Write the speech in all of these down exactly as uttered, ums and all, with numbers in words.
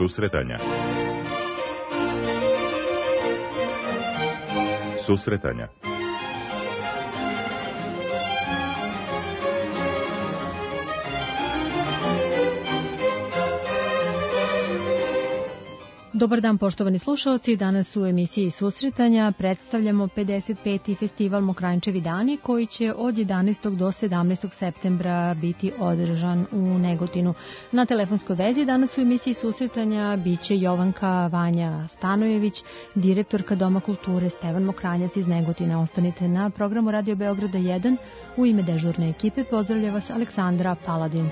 Susretanja. Susretanja. Dobar dan, poštovani slušaoci. Danas u emisiji Susretanja predstavljamo pedeset peti festival Mokranjčevi dani koji će od jedanaestog do sedamnaestog septembra biti održan u Negotinu. Na telefonskoj vezi danas u emisiji Susretanja biće Jovanka Vanja Stanojević, direktorka Doma kulture Stevan Mokranjac iz Negotina. Ostanite na programu Radio Beograda jedan. U ime dežurne ekipe pozdravlja vas Aleksandra Paladin.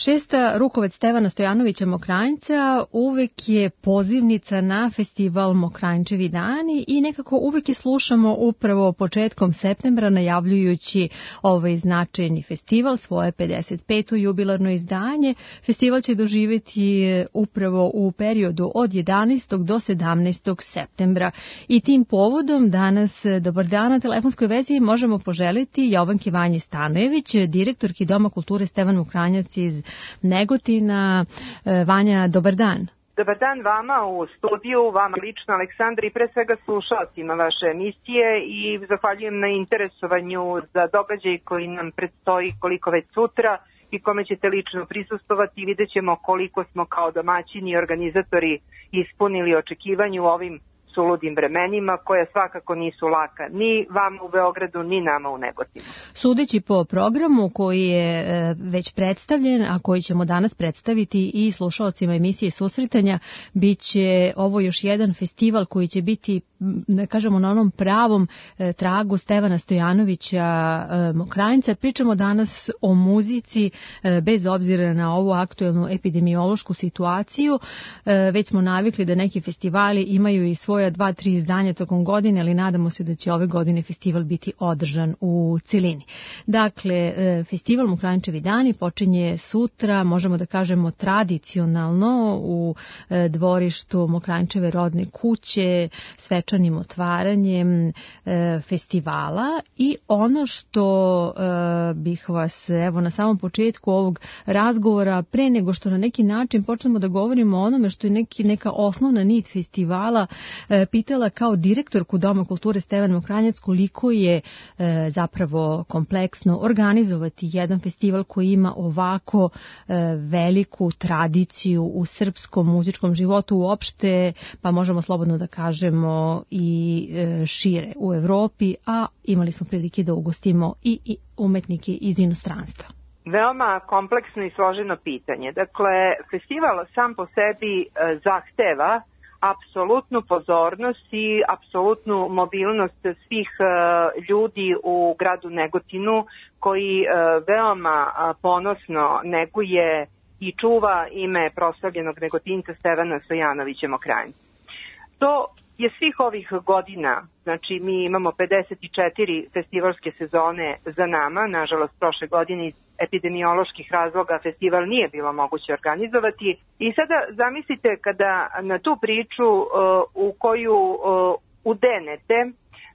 Šesta rukovet Stevana Stojanovića Mokranjca uvek je pozivnica na festival Mokranjčevi dani i nekako uvek je slušamo upravo početkom septembra najavljujući ovaj značajni festival, svoje pedeset peto jubilarno izdanje. Festival će doživjeti upravo u periodu od jedanaestog do sedamnaestog septembra i tim povodom danas, dobar dan, na telefonskoj vezi možemo poželiti Jovanki Vanji Stanojević, direktorki Doma kulture Stevan Mokranjac iz Negotina. Vanja, dobar dan. Dobar dan vama u studiju, vama lično Aleksandra i pre svega slušalcima vaše emisije i zahvaljujem na interesovanju za događaj koji nam predstoji koliko već sutra i kome ćete lično prisustovati i vidjet ćemo koliko smo kao domaćini i organizatori ispunili očekivanju u ovim suludim vremenima koja svakako nisu laka ni vama u Beogradu ni nama u Negotinu. Sudeći po programu koji je već predstavljen, a koji ćemo danas predstaviti i slušalcima emisije Susretanja, bit će ovo još jedan festival koji će biti, da kažemo, na onom pravom tragu Stevana Stojanovića Mokranjca. Pričamo danas o muzici bez obzira na ovu aktuelnu epidemiološku situaciju. Već smo navikli da neki festivali imaju i svoje dva, tri izdanja tokom godine, ali nadamo se da će ove godine festival biti održan u celini. Dakle, festival Mokranjčevi dani počinje sutra, možemo da kažemo tradicionalno, u dvorištu Mokranjčeve rodne kuće, svečanim otvaranjem festivala. I ono što bih vas, evo, na samom početku ovog razgovora, pre nego što na neki način počnemo da govorimo o onome što je neki, neka osnovna nit festivala, pitala kao direktorku Doma kulture Stevan Mokranjac koliko je e, zapravo kompleksno organizovati jedan festival koji ima ovako e, veliku tradiciju u srpskom muzičkom životu uopšte, pa možemo slobodno da kažemo i e, šire u Evropi, a imali smo prilike da ugostimo i, i umetnike iz inostranstva. Veoma kompleksno i složeno pitanje. Dakle, festival sam po sebi e, zahteva apsolutnu pozornost i apsolutnu mobilnost svih ljudi u gradu Negotinu koji veoma ponosno neguje i čuva ime proslavljenog Negotinca Stevana Stojanovića Mokranjca. To je svih ovih godina, znači mi imamo pedeset četiri festivalske sezone za nama, nažalost prošle godine iz epidemioloških razloga festival nije bilo moguće organizovati i sada zamislite kada na tu priču uh, u koju uh, udenete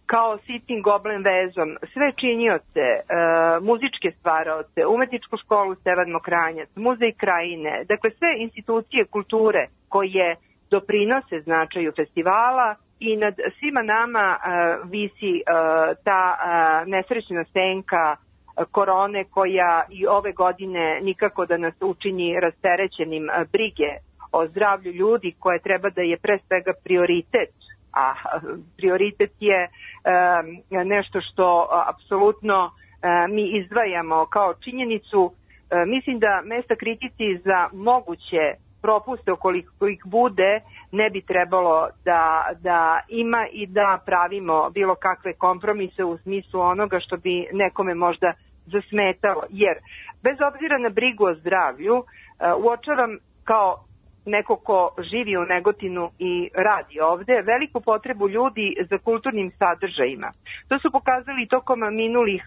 kao sitnim goblen vezom sve činioce, uh, muzičke stvaraoce, umetničku školu Stevan Mokranjac, muzej krajine, dakle sve institucije kulture koje doprinose značaju festivala i nad svima nama uh, visi uh, ta uh, nesrećna senka uh, korone koja i ove godine nikako da nas učini rasterećenim uh, brige o zdravlju ljudi koje treba da je pre svega prioritet, a uh, prioritet je uh, nešto što uh, apsolutno uh, mi izdvajamo kao činjenicu. Uh, mislim da mesta kritici za moguće propuste ukoliko ih bude ne bi trebalo da, da ima i da pravimo bilo kakve kompromise u smislu onoga što bi nekome možda zasmetalo. Jer bez obzira na brigu o zdravlju uočavam kao neko ko živi u Negotinu i radi ovde, veliku potrebu ljudi za kulturnim sadržajima. To su pokazali tokom minulih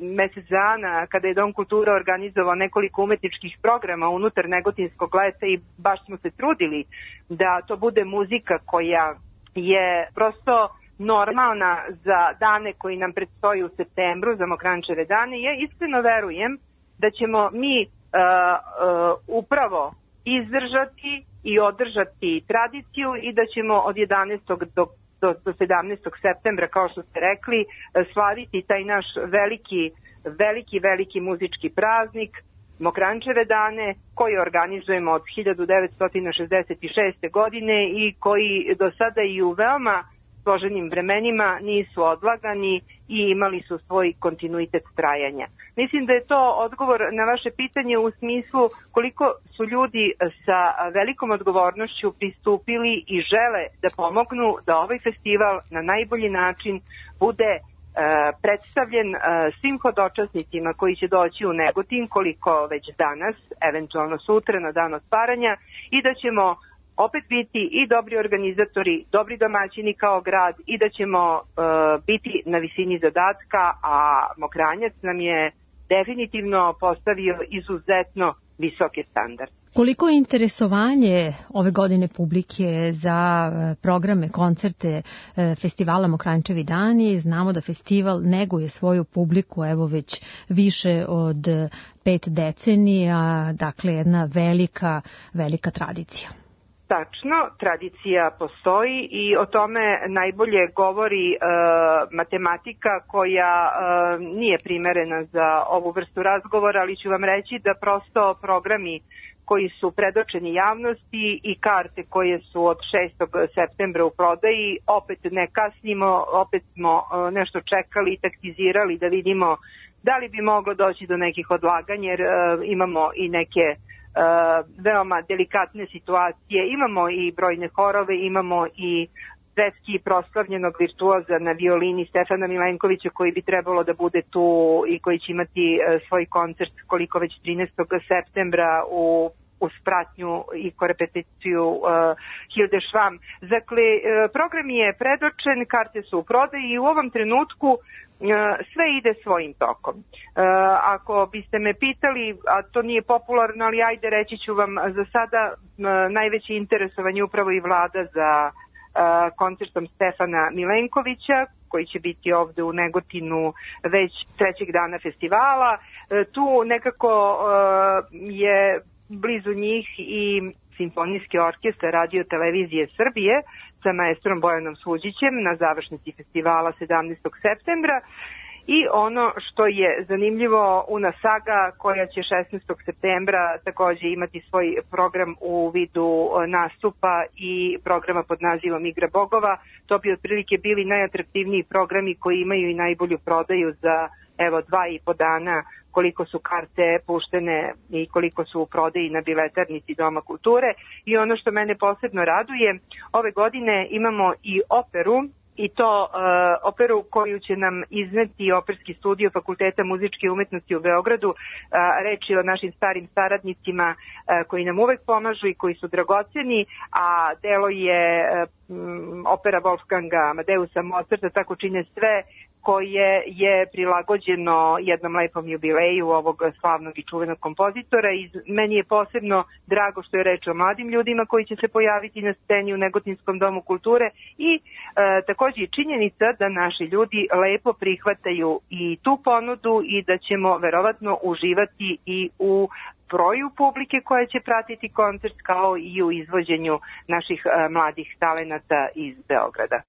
mesec dana kada je Dom kulture organizovao nekoliko umetničkih programa unutar Negotinskog leta i baš smo se trudili da to bude muzika koja je prosto normalna za dane koji nam predstoji u septembru, za Mokranjčeve dane. Ja iskreno verujem da ćemo mi uh, uh, upravo izdržati i održati tradiciju i da ćemo od jedanaestog do, do, do sedamnaestog septembra, kao što ste rekli, slaviti taj naš veliki, veliki, veliki muzički praznik, Mokranjčeve dane, koji organizujemo od hiljadu devetsto šezdeset šeste. godine i koji do sada i u veoma složenim vremenima nisu odlagani i imali su svoj kontinuitet trajanja. Mislim da je to odgovor na vaše pitanje u smislu koliko su ljudi sa velikom odgovornošću pristupili i žele da pomognu da ovaj festival na najbolji način bude predstavljen svim hodočasnicima koji će doći u Negotin, koliko već danas, eventualno sutra na dan otvaranja, i da ćemo opet biti i dobri organizatori, dobri domaćini kao grad i da ćemo biti na visini zadatka, a Mokranjac nam je definitivno postavio izuzetno visoke standarde. Koliko je interesovanje ove godine publike za programe, koncerte festivala Mokranjčevi dani? Znamo da festival neguje svoju publiku evo već više od pet decenija, dakle jedna velika, velika tradicija. Tačno, tradicija postoji i o tome najbolje govori e, matematika koja e, nije primerena za ovu vrstu razgovora, ali ću vam reći da prosto programi koji su predočeni javnosti i karte koje su od šestog septembra u prodaji, opet ne kasnimo, opet smo e, nešto čekali i taktizirali da vidimo da li bi moglo doći do nekih odlaganja, jer e, imamo i neke Uh, veoma delikatne situacije. Imamo i brojne horove, imamo i svetski proslavljenog virtuoza na violini Stefana Milenkovića koji bi trebalo da bude tu i koji će imati uh, svoj koncert koliko već trinaestog septembra u uz pratnju i korepeticiju uh, Hilde Švam. Dakle, uh, program je predočen, karte su u prodaji i u ovom trenutku uh, sve ide svojim tokom. Uh, ako biste me pitali, a to nije popularno, ali ajde reći ću vam, za sada uh, najveće interesovanje upravo i vlada za uh, koncertom Stefana Milenkovića, koji će biti ovde u Negotinu već trećeg dana festivala. Uh, tu nekako uh, je blizu njih i Simfonijski orkestar Radio Televizije Srbije sa maestrom Bojanom Suđićem na završnici festivala sedamnaestog septembra. I ono što je zanimljivo, Una Saga, koja će šesnaestog septembra takođe imati svoj program u vidu nastupa i programa pod nazivom Igra bogova. To bi otprilike bili najatraktivniji programi koji imaju i najbolju prodaju za evo dva i po dana, koliko su karte puštene i koliko su u prodaji na biletarnici Doma kulture. I ono što mene posebno raduje, ove godine imamo i operu, i to uh, operu koju će nam izneti Operski studio Fakulteta muzičke umetnosti u Beogradu. Uh, reč je o našim starim saradnicima uh, koji nam uvek pomažu i koji su dragoceni, a delo je um, opera Wolfganga Amadeusa Mozarta, tako čine sve, koje je prilagođeno jednom lepom jubileju ovog slavnog i čuvenog kompozitora. I meni je posebno drago što je reč o mladim ljudima koji će se pojaviti na sceni u Negotinskom domu kulture i e, takođe i činjenica da naši ljudi lepo prihvataju i tu ponudu i da ćemo verovatno uživati i u broju publike koja će pratiti koncert, kao i u izvođenju naših e, mladih talenata iz Beograda.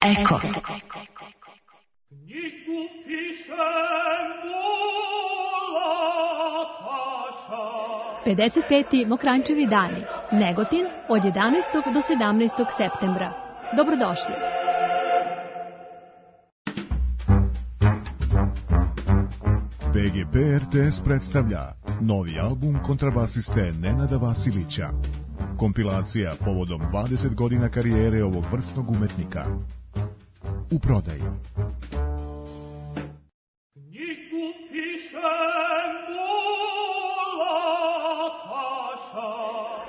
Eko. pedeset peti Mokranjčevi dani, Negotin, od jedanaestog do sedamnaestog septembra. Dobrodošli. B G P R T S predstavlja novi album kontrabasiste Nenada Vasilića. Kompilacija povodom dvadeset godina karijere ovog vrsnog umetnika. U prodaji.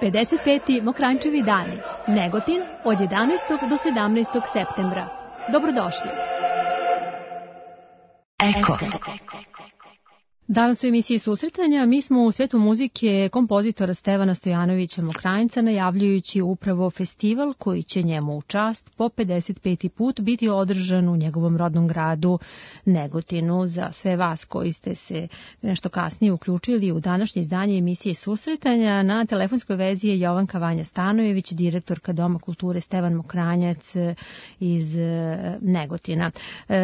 pedeset peti Mokranjčevi dani, Negotin, od jedanaestog do sedamnaestog septembra. Dobrodošli. Eko. Danas u emisiji Susretanja mi smo u svetu muzike kompozitora Stevana Stojanovića Mokranjca najavljujući upravo festival koji će njemu u čast po pedeset peti put biti održan u njegovom rodnom gradu Negotinu. Za sve vas koji ste se nešto kasnije uključili u današnje izdanje emisije Susretanja, na telefonskoj vezi je Jovanka Vanja Stanojević, direktorka Doma kulture Stevan Mokranjac iz Negotina.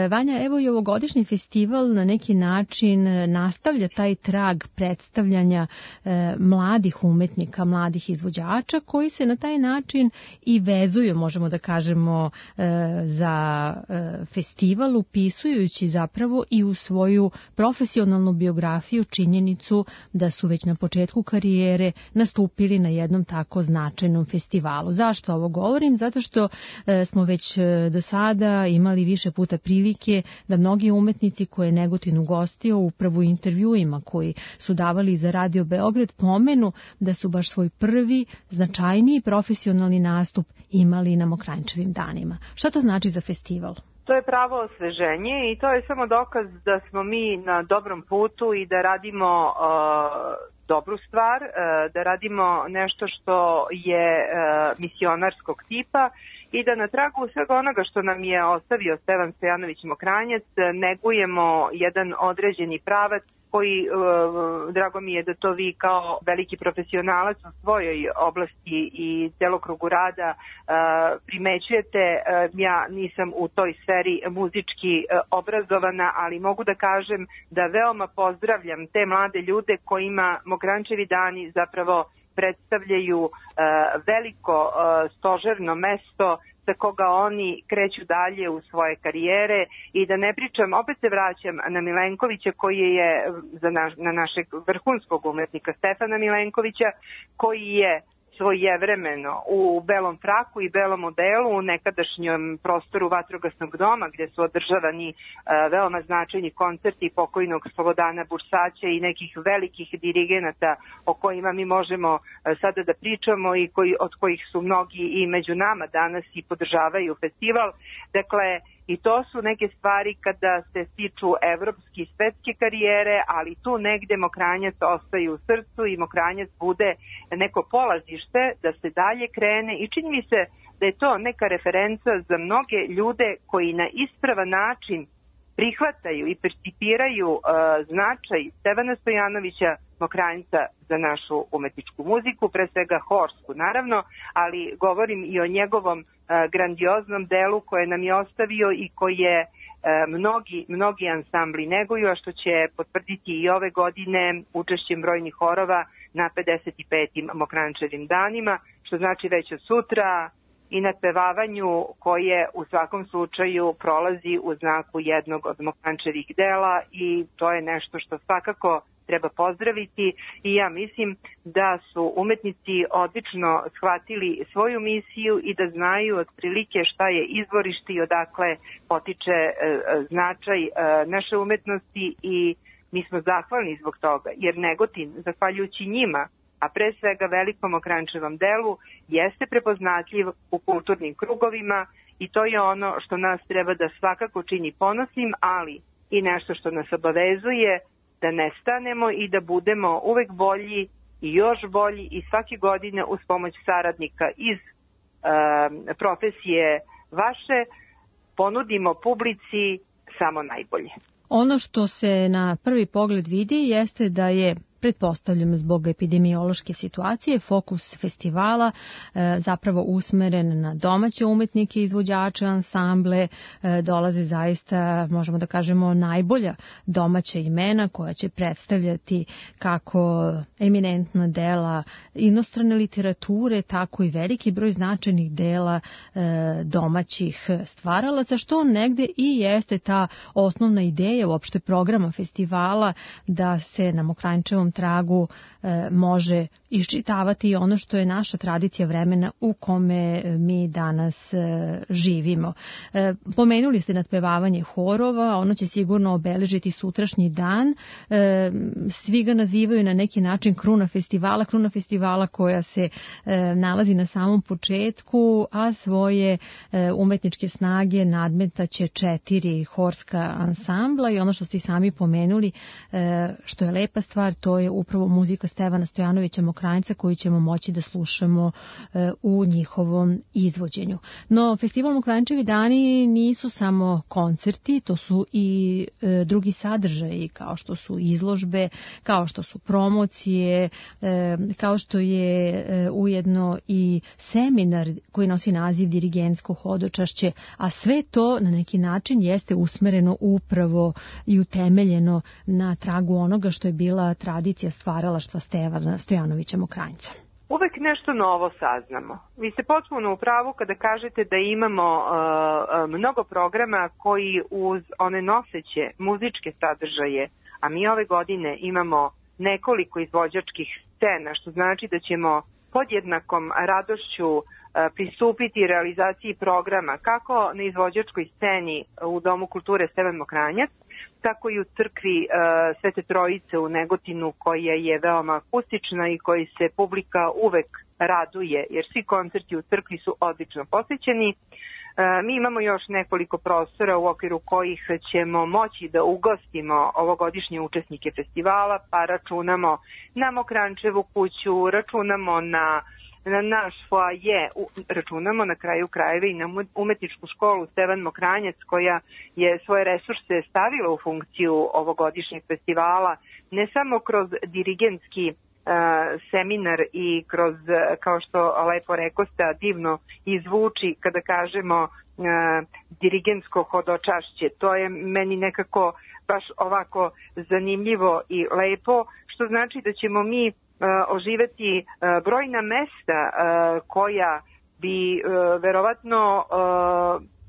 Vanja, evo i ovogodišnji festival na neki način na nastavlja taj trag predstavljanja e, mladih umetnika, mladih izvođača koji se na taj način i vezuju, možemo da kažemo, e, za e, festival, upisujući zapravo i u svoju profesionalnu biografiju činjenicu da su već na početku karijere nastupili na jednom tako značajnom festivalu. Zašto ovo govorim? Zato što e, smo već e, do sada imali više puta prilike da mnogi umetnici koje je Negotin ugostio upravo intervjuima koji su davali za Radio Beograd pomenu da su baš svoj prvi značajniji profesionalni nastup imali na Mokranjčevim danima. Šta to znači za festival? To je pravo osveženje i to je samo dokaz da smo mi na dobrom putu i da radimo uh, dobru stvar, uh, da radimo nešto što je uh, misionarskog tipa i da na tragu svega onoga što nam je ostavio Stevan Stojanović Mokranjac negujemo jedan određeni pravac koji, drago mi je da to vi kao veliki profesionalac u svojoj oblasti i celokrugu rada primećujete. Ja nisam u toj sferi muzički obrazovana, ali mogu da kažem da veoma pozdravljam te mlade ljude kojima Mokranjčevi dani zapravo predstavljaju veliko stožerno mesto sa koga oni kreću dalje u svoje karijere i da ne pričam, opet se vraćam na Milenkovića koji je za naš, na našeg vrhunskog umetnika Stefana Milenkovića koji je svojevremeno u belom fraku i belom odelu u nekadašnjem prostoru Vatrogasnog doma gdje su održavani e, veoma značajni koncerti pokojnog Slobodana Bursaća i nekih velikih dirigenata o kojima mi možemo e, sada da pričamo i koji, od kojih su mnogi i među nama danas i podržavaju festival. Dakle, i to su neke stvari kada se stiču evropske i svetske karijere, ali tu negde Mokranjac ostaje u srcu i Mokranjac bude neko polazište da se dalje krene i čini mi se da je to neka referenca za mnoge ljude koji na ispravan način prihvataju i percipiraju uh, značaj Stevana Stojanovića Mokranjca za našu umetničku muziku, pre svega horsku naravno, ali govorim i o njegovom uh, grandioznom delu koje nam je ostavio i koje uh, mnogi, mnogi ansambli neguju, a što će potvrditi i ove godine učešćem brojnih horova na pedeset petim Mokranjčevim danima, što znači već od sutra i nadpevavanju koje u svakom slučaju prolazi u znaku jednog od Mokranjčevih dela i to je nešto što svakako treba pozdraviti i ja mislim da su umetnici odlično shvatili svoju misiju i da znaju otprilike šta je izvorište i odakle potiče e, značaj e, naše umetnosti i mi smo zahvalni zbog toga jer Negotin, zahvaljujući njima, a pre svega velikom Mokranjčevom delu, jeste prepoznatljiv u kulturnim krugovima i to je ono što nas treba da svakako čini ponosnim, ali i nešto što nas obavezuje da ne stanemo i da budemo uvek bolji i još bolji i svake godine uz pomoć saradnika iz e, profesije vaše ponudimo publici samo najbolje. Ono što se na prvi pogled vidi jeste da je, pretpostavljam zbog epidemiološke situacije, fokus festivala e, zapravo usmeren na domaće umetnike, izvođače, ansamble, e, dolaze zaista, možemo da kažemo, najbolja domaća imena koja će predstavljati kako eminentna dela inostrane literature, tako i veliki broj značajnih dela e, domaćih stvaralaca, što negde i jeste ta osnovna ideja uopšte programa festivala da se na Mokranjčevom tragu e, može iščitavati ono što je naša tradicija vremena u kome mi danas e, živimo. E, pomenuli ste nadpevavanje horova, ono će sigurno obeležiti sutrašnji dan. E, svi ga nazivaju na neki način kruna festivala, kruna festivala koja se e, nalazi na samom početku, a svoje e, umetničke snage nadmetaće četiri horska ansambla i ono što ste sami pomenuli, e, što je lepa stvar, to je upravo muzika Stevana Stojanovića Mokranjca koju ćemo moći da slušamo e, u njihovom izvođenju. No, festival Mokranjčevi dani nisu samo koncerti, to su i e, drugi sadržaji kao što su izložbe, kao što su promocije, e, kao što je e, ujedno i seminar koji nosi naziv dirigentsko hodočašće, a sve to na neki način jeste usmereno upravo i utemeljeno na tragu onoga što je bila tradicija stvaralaštva Stevana Stojanovića Mokranjca. Uvek nešto novo saznamo. Vi ste potpuno u pravu kada kažete da imamo uh, mnogo programa koji uz one noseće muzičke sadržaje, a mi ove godine imamo nekoliko izvođačkih scena, što znači da ćemo podjednakom radošću uh, pristupiti realizaciji programa kako na izvođačkoj sceni u Domu kulture Stevan Mokranjac, tako i u crkvi uh, Svete Trojice u Negotinu, koja je veoma akustična i koji se publika uvek raduje, jer svi koncerti u crkvi su odlično posvećeni. Uh, mi imamo još nekoliko prostora u okviru kojih ćemo moći da ugostimo ovogodišnje učesnike festivala, pa računamo na Mokrančevu kuću, računamo na na naš foaje, računamo na kraju krajeva i na umetničku školu Stevan Mokranjac, koja je svoje resurse stavila u funkciju ovogodišnjeg festivala, ne samo kroz dirigentski uh, seminar i kroz, kao što lepo rekosta, divno izvuči kada kažemo uh, dirigentsko hodočašće. To je meni nekako baš ovako zanimljivo i lepo, što znači da ćemo mi oživeti brojna mesta koja bi verovatno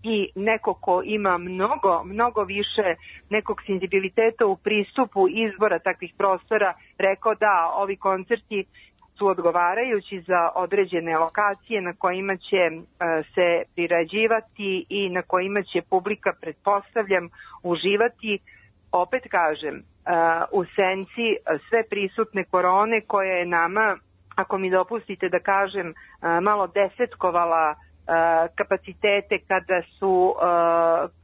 i neko ko ima mnogo, mnogo više nekog senzibiliteta u pristupu izbora takvih prostora rekao da ovi koncerti su odgovarajući za određene lokacije na kojima će se priređivati i na kojima će publika, pretpostavljam, uživati. Opet kažem, u senci sve prisutne korone koja je nama, ako mi dopustite da kažem, malo desetkovala kapacitete kada su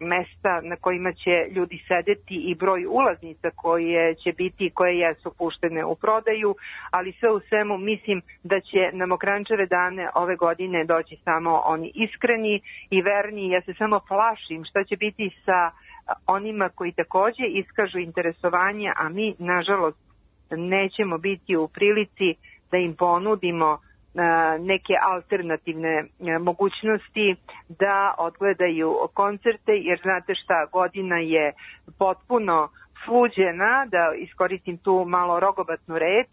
mesta na kojima će ljudi sedeti i broj ulaznica koje će biti, koje jesu puštene u prodaju, ali sve u svemu mislim da će na Mokrančeve dane ove godine doći samo oni iskreni i verni. Ja se samo plašim šta će biti sa onima koji takođe iskažu interesovanje, a mi, nažalost, nećemo biti u prilici da im ponudimo neke alternativne mogućnosti da odgledaju koncerte, jer znate šta, godina je potpuno sluđena, da iskoristim tu malo rogobatnu reč,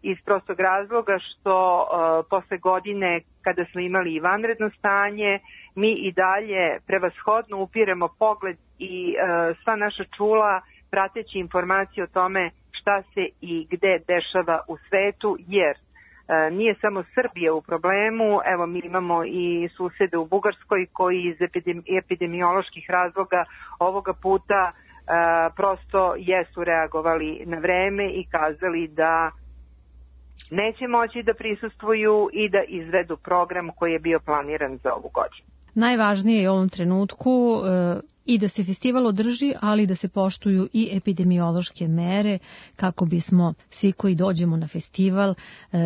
iz prostog razloga što uh, posle godine kada smo imali i vanredno stanje, mi i dalje prevashodno upiremo pogled i uh, sva naša čula prateći informacije o tome šta se i gde dešava u svetu, jer uh, nije samo Srbija u problemu, evo mi imamo i susede u Bugarskoj koji iz epidemi- epidemioloških razloga ovoga puta uh, prosto jesu reagovali na vreme i kazali da neće moći da prisustvuju i da izvedu program koji je bio planiran za ovu godinu. Najvažnije je u ovom trenutku e, i da se festival održi, ali da se poštuju i epidemiološke mere kako bismo svi koji dođemo na festival e,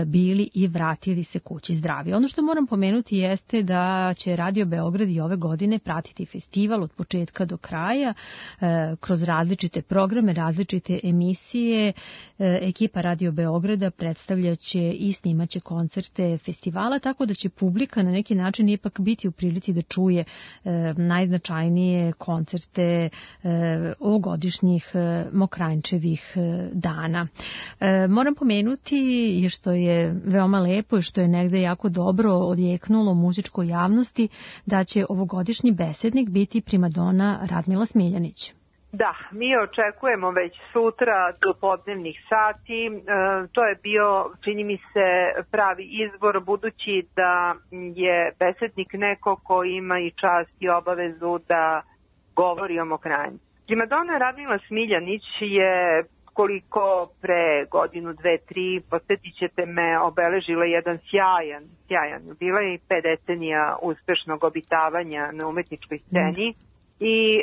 bili i vratili se kući zdravi. Ono što moram pomenuti jeste da će Radio Beograd i ove godine pratiti festival od početka do kraja e, kroz različite programe, različite emisije. E, ekipa Radio Beograda predstavljaće i snimaće koncerte festivala, tako da će publika na neki način ipak biti u prilici da čuje e, najznačajnije koncerte e, ovogodišnjih e, Mokranjčevih e, dana. E, moram pomenuti, što je veoma lepo i što je negde jako dobro odjeknulo muzičkoj javnosti, da će ovogodišnji besednik biti primadona Radmila Smiljanić. Da, mi očekujemo već sutra do podnevnih sati. E, to je bio, čini mi se, pravi izbor, budući da je besednik neko ko ima i čast i obavezu da govori o Mokranjcu. Primadona Radmila Smiljanić je, koliko pre godinu, dve, tri, posjetit ćete me, obeležila jedan sjajan, sjajan. Bila je i pet decenija uspešnog obitavanja na umetničkoj sceni. Mm. I e,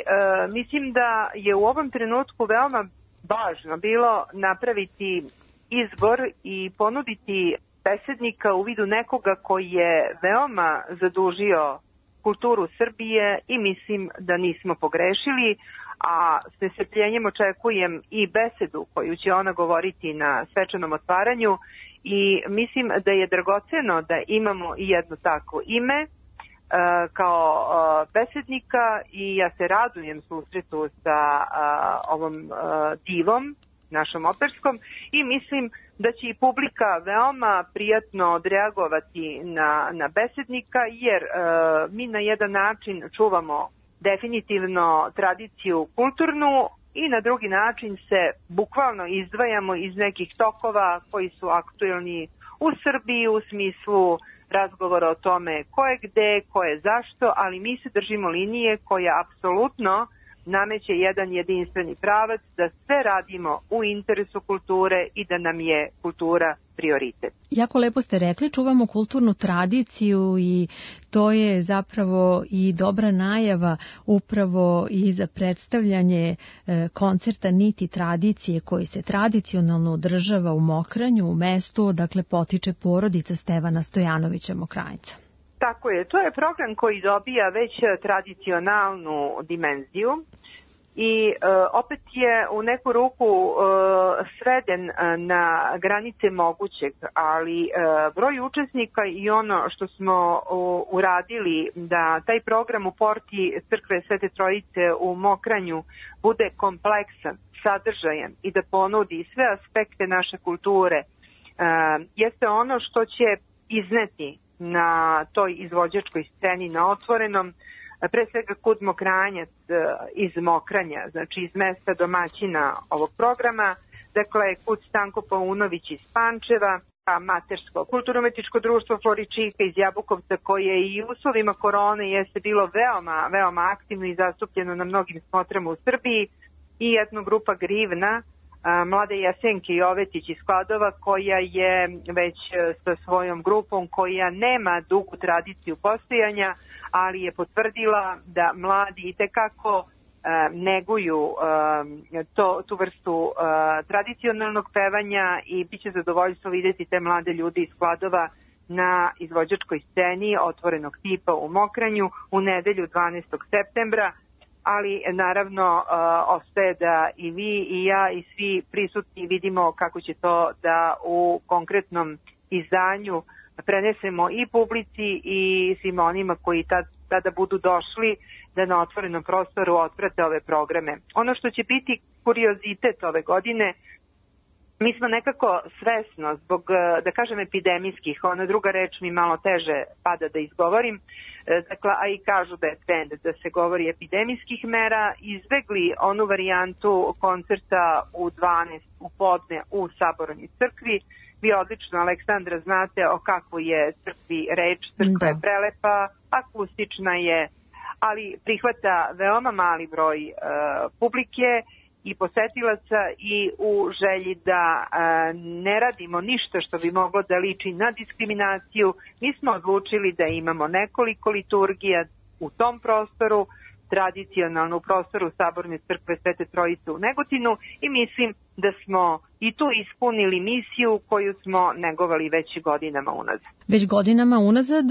mislim da je u ovom trenutku veoma važno bilo napraviti izbor i ponuditi besednika u vidu nekoga koji je veoma zadužio kulturu Srbije i mislim da nismo pogrešili, a s nestrpljenjem očekujem i besedu koju će ona govoriti na svečanom otvaranju i mislim da je dragoceno da imamo i jedno takvo ime kao besednika i ja se radujem susretu sa ovom divom, našom operskom, i mislim da će i publika veoma prijatno odreagovati na, na besednika, jer mi na jedan način čuvamo definitivno tradiciju kulturnu i na drugi način se bukvalno izdvajamo iz nekih tokova koji su aktuelni u Srbiji u smislu razgovora o tome ko je gde, ko je zašto, ali mi se držimo linije koja apsolutno nameće jedan jedinstveni pravac da sve radimo u interesu kulture i da nam je kultura prioritet. Jako lepo ste rekli, čuvamo kulturnu tradiciju i to je zapravo i dobra najava upravo i za predstavljanje koncerta Niti tradicije koji se tradicionalno održava u Mokranju, u mestu odakle potiče porodica Stevana Stojanovića Mokranjca. Tako je, to je program koji dobija već tradicionalnu dimenziju i e, opet je u neku ruku e, sveden na granice mogućeg, ali e, broj učesnika i ono što smo u, uradili da taj program u porti Crkve Svete Trojice u Mokranju bude kompleksan, sadržajan i da ponudi sve aspekte naše kulture, e, jeste ono što će izneti na toj izvođačkoj sceni na otvorenom, pre svega Kud Mokranjac iz Mokranja, znači iz mesta domaćina ovog programa, dakle Kud Stanko Paunović iz Pančeva, Matersko kulturno-umetničko društvo Floričika iz Jabukovca, koje i u uslovima korone jeste bilo veoma, veoma aktivno i zastupljeno na mnogim smotrama u Srbiji, i etnogrupa Grivna, Mlade Jasenke Jovetić iz Kladova, koja je već sa svojom grupom, koja nema dugu tradiciju postojanja, ali je potvrdila da mladi itekako neguju to, tu vrstu tradicionalnog pevanja i bit će zadovoljstvo vidjeti te mlade ljude iz Kladova na izvođačkoj sceni otvorenog tipa u Mokranju u nedelju dvanaestog septembra, ali naravno uh, ostaje da i vi i ja i svi prisutni vidimo kako će to da u konkretnom izdanju prenesemo i publici i svima onima koji tad, tada budu došli da na otvorenom prostoru otprate ove programe. Ono što će biti kuriozitet ove godine, mi smo nekako svesno, zbog, da kažem, epidemijskih, ona druga reč mi malo teže pada da izgovorim, dakle, a i kažu da je trend da se govori epidemijskih mera, izbegli onu varijantu koncerta u dvanaest u podne u Sabornoj crkvi. Vi odlično, Aleksandra, znate o kakvoj je crkvi reč, crkva je prelepa, akustična je, ali prihvata veoma mali broj uh, publike i posetilaca, i u želji da a, ne radimo ništa što bi moglo da liči na diskriminaciju, mi smo odlučili da imamo nekoliko liturgija u tom prostoru, tradicionalno u prostoru Saborne crkve Svete Trojice u Negotinu, i mislim da smo i tu ispunili misiju koju smo negovali već godinama unazad. Već godinama unazad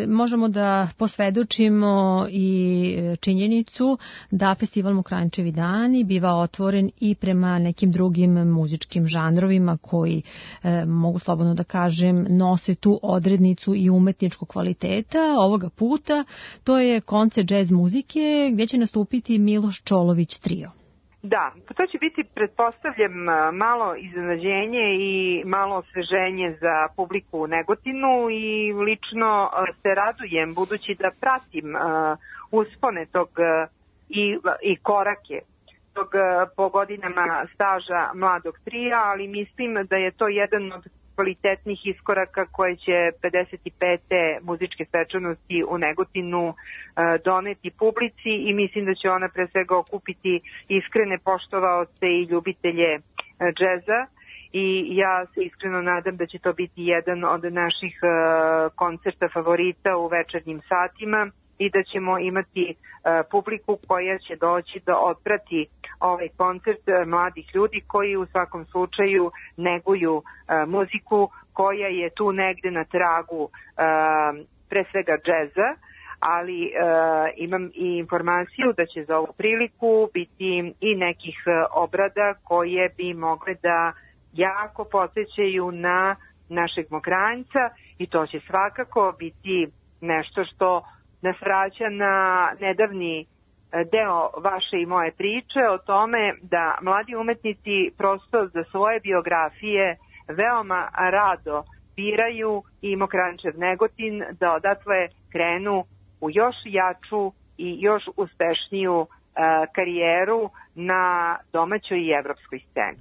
možemo da posvedočimo i činjenicu da Festival Mokranjčevi dani biva otvoren i prema nekim drugim muzičkim žanrovima koji, e, mogu slobodno da kažem, nose tu odrednicu i umetničkog kvaliteta. Ovoga puta to je koncert džez muzike gdje će nastupiti Miloš Čolović trio. Da, to će biti, pretpostavljam, malo iznenađenje i malo osveženje za publiku u Negotinu, i lično se radujem budući da pratim uspone tog i, i korake tog po godinama staža mladog trija, ali mislim da je to jedan od kvalitetnih iskoraka koje će pedeset pete muzičke svečanosti u Negotinu doneti publici, i mislim da će ona pre svega okupiti iskrene poštovaoce i ljubitelje džeza, i ja se iskreno nadam da će to biti jedan od naših koncerta favorita u večernjim satima i da ćemo imati publiku koja će doći da otprati ovaj koncert mladih ljudi koji u svakom slučaju neguju muziku koja je tu negde na tragu pre svega džeza, ali e, imam i informaciju da će za ovu priliku biti i nekih obrada koje bi mogle da jako podsjećaju na našeg Mokranjca, i to će svakako biti nešto što nas vraća na nedavni deo vaše i moje priče o tome da mladi umetnici prosto za svoje biografije veoma rado biraju i Mokranjčev Negotin, da odatle krenu u još jaču i još uspešniju uh, karijeru na domaćoj i evropskoj sceni.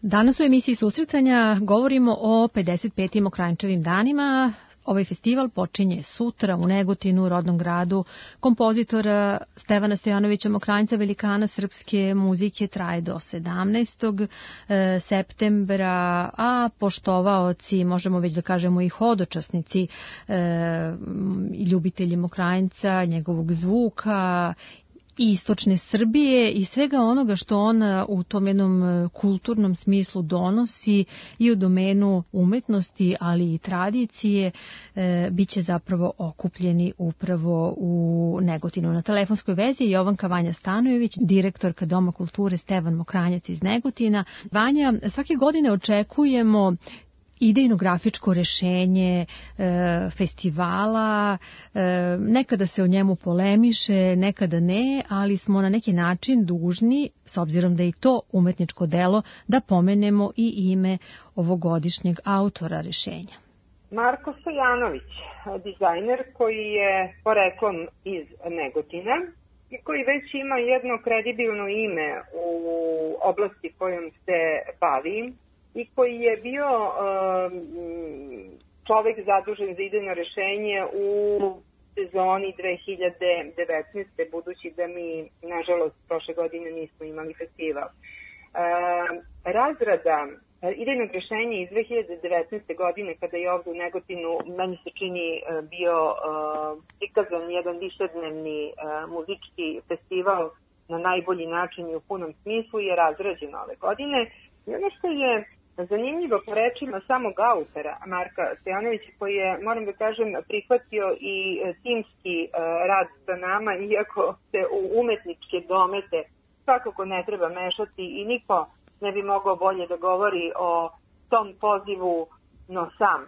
Danas u emisiji Susretanja govorimo o pedeset petim Mokranjčevim danima. Ovaj festival počinje sutra u Negotinu, rodnom gradu kompozitora Stevana Stojanovića Mokranjca, velikana srpske muzike, traje do sedamnaestog septembra, a poštovaoci, možemo već da kažemo i hodočasnici, i ljubitelji Mokranjca, njegovog zvuka, i istočne Srbije i svega onoga što on u tom jednom kulturnom smislu donosi i u domenu umetnosti, ali i tradicije, e, bit će zapravo okupljeni upravo u Negotinu. Na telefonskoj vezi je Jovanka Vanja Stanojević, direktorka Doma kulture Stevan Mokranjac iz Negotina. Vanja, svake godine očekujemo idejno-grafičko rešenje e, festivala, e, nekada se o njemu polemiše, nekada ne, ali smo na neki način dužni, s obzirom da je i to umetničko delo, da pomenemo i ime ovogodišnjeg autora rešenja. Marko Stojanović, dizajner koji je poreklom iz Negotina i koji već ima jedno kredibilno ime u oblasti kojom se bavi, i koji je bio um, čovek zadužen za idejno rešenje u sezoni dve hiljade devetnaeste. budući da mi, nažalost, prošle godine nismo imali festival. Um, razrada idejnog rešenja iz dve hiljade devetnaeste. godine, kada je ovdje u Negotinu, meni se čini, bio uh, prikazan jedan višednevni uh, muzički festival na najbolji način i u punom smislu, je razrađen ove godine. I ono što je zanimljivo po rečima samog autora Marka Stojanovića, koji je, moram da kažem, prihvatio i timski rad sa nama, iako se u umetničke domete svakako ne treba mešati i niko ne bi mogao bolje da govori o tom pozivu, no sam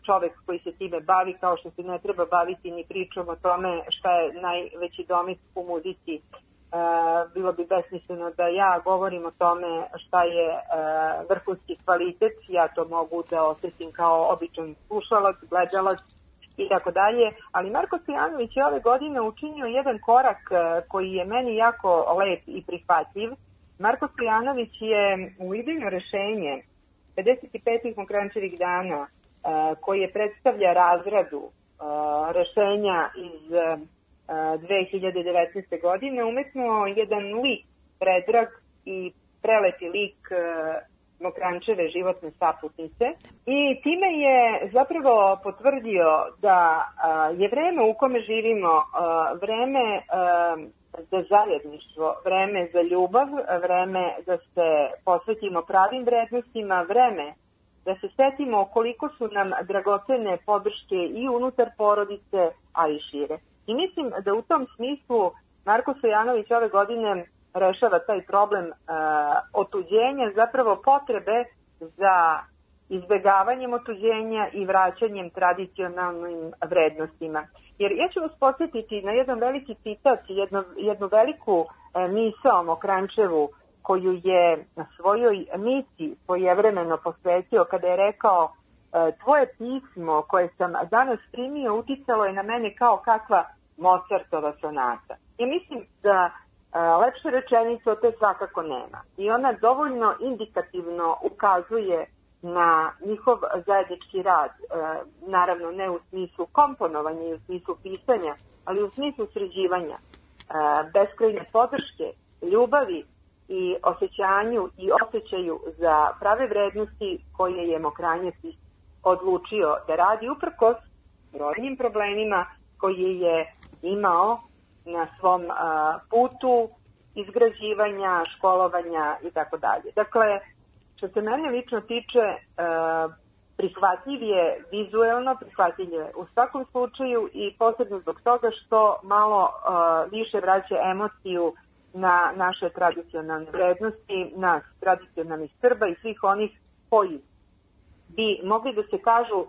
čovek koji se time bavi, kao što se ne treba baviti ni pričom o tome šta je najveći domet u muzici. Uh, bilo bi besmisleno da ja govorim o tome šta je uh, vrhunski kvalitet. Ja to mogu da osjetim kao običan slušalac, gledalac i tako dalje, ali Marko Stojanović je ove godine učinio jedan korak uh, koji je meni jako lep i prihvatljiv. Marko Stojanović je u idejno rešenje pedeset petih Mokranjčevih dana, uh, koje predstavlja razradu uh, rešenja iz uh, dve hiljade devetnaeste. godine umetnuo jedan lik, predrag i preleti lik Mokranjčeve životne saputnice, i time je zapravo potvrdio da je vreme u kome živimo vreme za zajedništvo, vreme za ljubav, vreme da se posvetimo pravim vrednostima, vreme da se setimo koliko su nam dragocene podrške i unutar porodice, a i šire. I mislim da u tom smislu Marko Stojanović ove godine rešava taj problem uh, otuđenja, zapravo potrebe za izbegavanjem otuđenja i vraćanjem tradicionalnim vrednostima. Jer ja ću vas podsjetiti na jedan veliki citat, jednu, jednu veliku uh, misao Mokranjčevu, koju je na svojoj misi svojevremeno posvetio kada je rekao: tvoje pismo koje sam danas primio uticalo je na mene kao kakva Mozartova sonata. I mislim da a, lepše rečenice o to svakako nema. I ona dovoljno indikativno ukazuje na njihov zajednički rad, a, naravno ne u smislu komponovanja i u smislu pisanja, ali u smislu sređivanja, a, beskrajne podrške, ljubavi i osjećanju i osjećaju za prave vrednosti koje je Mokranjac odlučio da radi uprkos brojnim problemima koje je imao na svom uh, putu izgrađivanja, školovanja i tako dalje. Dakle, što se mene lično tiče, uh, prihvatljiv je vizuelno, prihvatljiv je u svakom slučaju i posebno zbog toga što malo uh, više vraća emociju na naše tradicionalne vrednosti, nas tradicionalnih Srba i svih onih koji bi mogli da se kažu uh,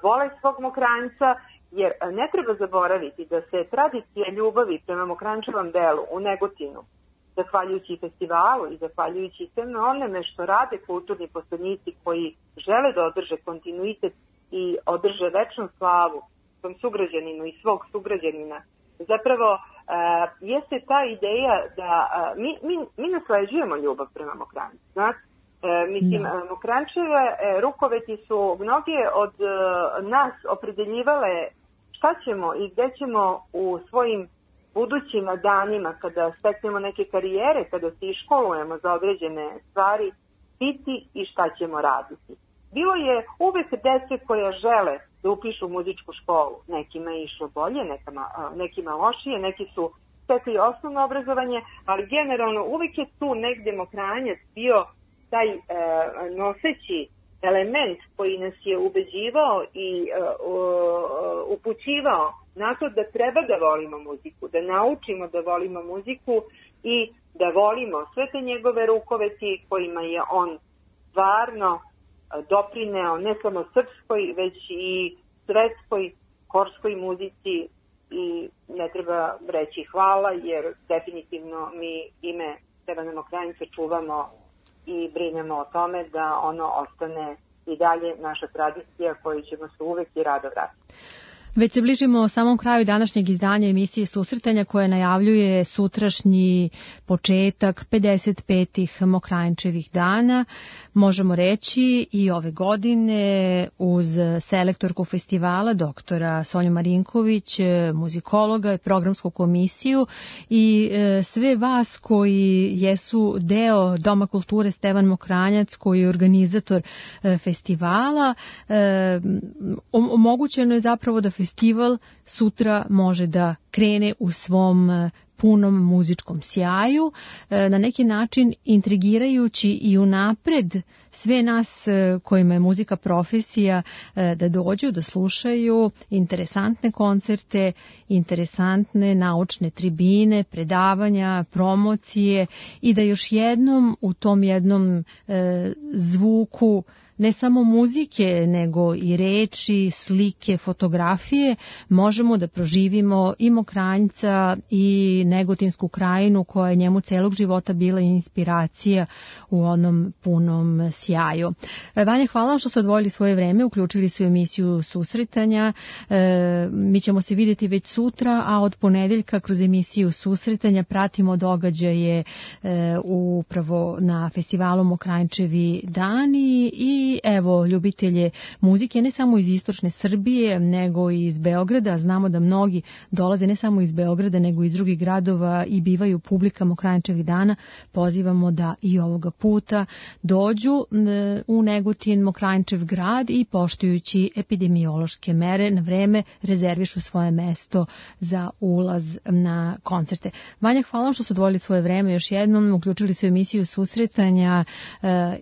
vole svog Mokranjca, jer ne treba zaboraviti da se tradicija ljubavi prema Mokranjčevom delu u Negotinu, zahvaljujući festivalu i zahvaljujući sve onome što rade kulturni poslanici koji žele da održe kontinuitet i održe večnu slavu svom sugrađaninu i svog sugrađanina, zapravo jeste ta ideja da uh, mi, mi, mi nasleđujemo ljubav prema Mokranjcu. Znate, uh, mislim, no. Mokranjčeve uh, rukoveti su mnoge od uh, nas opredeljivale šta ćemo i gde ćemo u svojim budućim danima, kada steknemo neke karijere, kada se iškolujemo za određene stvari, biti i šta ćemo raditi. Bilo je uvek dece koja žele da upišu muzičku školu. Nekima je išlo bolje, nekima, nekima lošije, neki su stekli osnovno obrazovanje, ali generalno uvek je tu negde Mokranjac bio taj e, noseći element koji nas je ubeđivao i e, o, upućivao na to da treba da volimo muziku, da naučimo da volimo muziku i da volimo sve te njegove rukoveti kojima je on stvarno doprineo ne samo srpskoj, već i svetskoj, korskoj muzici i ne treba reći hvala, jer definitivno mi ime Stevana Mokranjca čuvamo i brinemo o tome da ono ostane i dalje naša tradicija koju ćemo se uvek i rado vratiti. Već se bližimo samom kraju današnjeg izdanja emisije Susretanja koja najavljuje sutrašnji početak pedeset petih Mokranjčevih dana. Možemo reći i ove godine uz selektorku festivala doktora Sonju Marinković, muzikologa i programsku komisiju i sve vas koji jesu deo Doma kulture Stevan Mokranjac koji je organizator festivala. Omogućeno je zapravo da festival sutra može da krene u svom punom muzičkom sjaju, na neki način intrigirajući i unapred sve nas kojima je muzika profesija da dođu, da slušaju interesantne koncerte, interesantne naučne tribine, predavanja, promocije i da još jednom u tom jednom zvuku ne samo muzike, nego i reči, slike, fotografije, možemo da proživimo i Mokranjca i Negotinsku krajinu koja je njemu celog života bila inspiracija u onom punom sjaju. Vanja, hvala što ste odvojili svoje vreme, uključili su emisiju Susretanja. Mi ćemo se vidjeti već sutra, a od ponedeljka kroz emisiju Susretanja pratimo događaje upravo na festivalu Mokranjčevi dani i I evo, ljubitelje muzike ne samo iz istočne Srbije, nego i iz Beograda. Znamo da mnogi dolaze ne samo iz Beograda, nego i iz drugih gradova i bivaju publika Mokranjčevih dana. Pozivamo da i ovoga puta dođu u Negotin, Mokranjčev grad i poštujući epidemiološke mere na vreme rezervišu svoje mesto za ulaz na koncerte. Vanja, hvala vam što su odvojili svoje vreme još jednom, uključili su emisiju Susretanja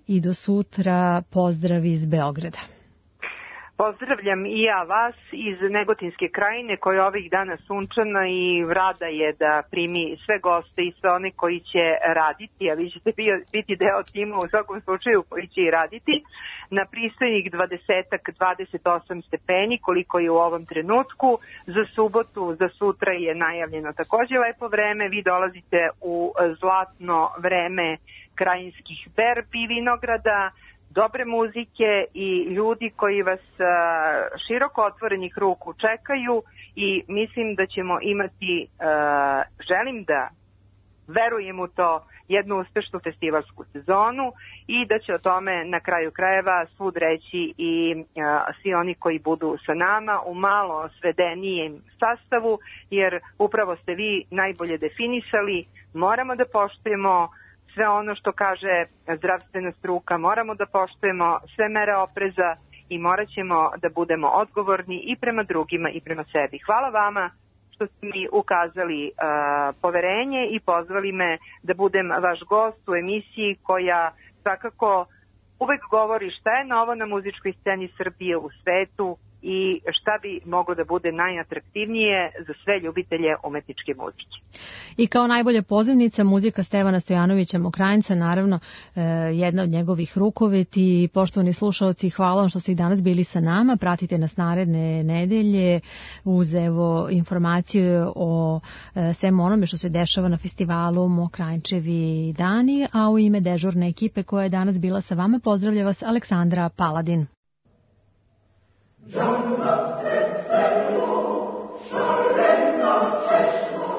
i do sutra. Pozdrav iz Beograda. Pozdravljam i ja vas iz Negotinske krajine koja je ovih dana sunčana i rada je da primi sve goste i sve one koji će raditi, a vi ćete biti deo tima u svakom slučaju koji će i raditi, na pristojnih dvadeset do dvadeset osam stepeni koliko je u ovom trenutku. Za subotu, za sutra je najavljeno takođe lepo vreme, vi dolazite u zlatno vreme krajinskih berbi i vinograda, dobre muzike i ljudi koji vas široko otvorenih ruku čekaju i mislim da ćemo imati, želim da verujem u to, jednu uspešnu festivalsku sezonu i da će o tome na kraju krajeva svud reći i svi oni koji budu sa nama u malo svedenijem sastavu, jer upravo ste vi najbolje definisali, moramo da poštujemo sve ono što kaže zdravstvena struka, moramo da poštujemo sve mere opreza i morat ćemo da budemo odgovorni i prema drugima i prema sebi. Hvala vama što ste mi ukazali uh, poverenje i pozvali me da budem vaš gost u emisiji koja svakako uvek govori šta je novo na muzičkoj sceni Srbije u svetu i šta bi moglo da bude najatraktivnije za sve ljubitelje umetničke muzike. I kao najbolja pozivnica muzika Stevana Stojanovića Mokranjca, naravno jedna od njegovih rukoveti. Poštovani slušalci, hvala vam što ste i danas bili sa nama. Pratite nas naredne nedelje uz evo informacije o svemu onome što se dešava na festivalu Mokranjčevi dani, a u ime dežurne ekipe koja je danas bila sa vama pozdravlja vas Aleksandra Paladin. Żona z selu szalena przeszło,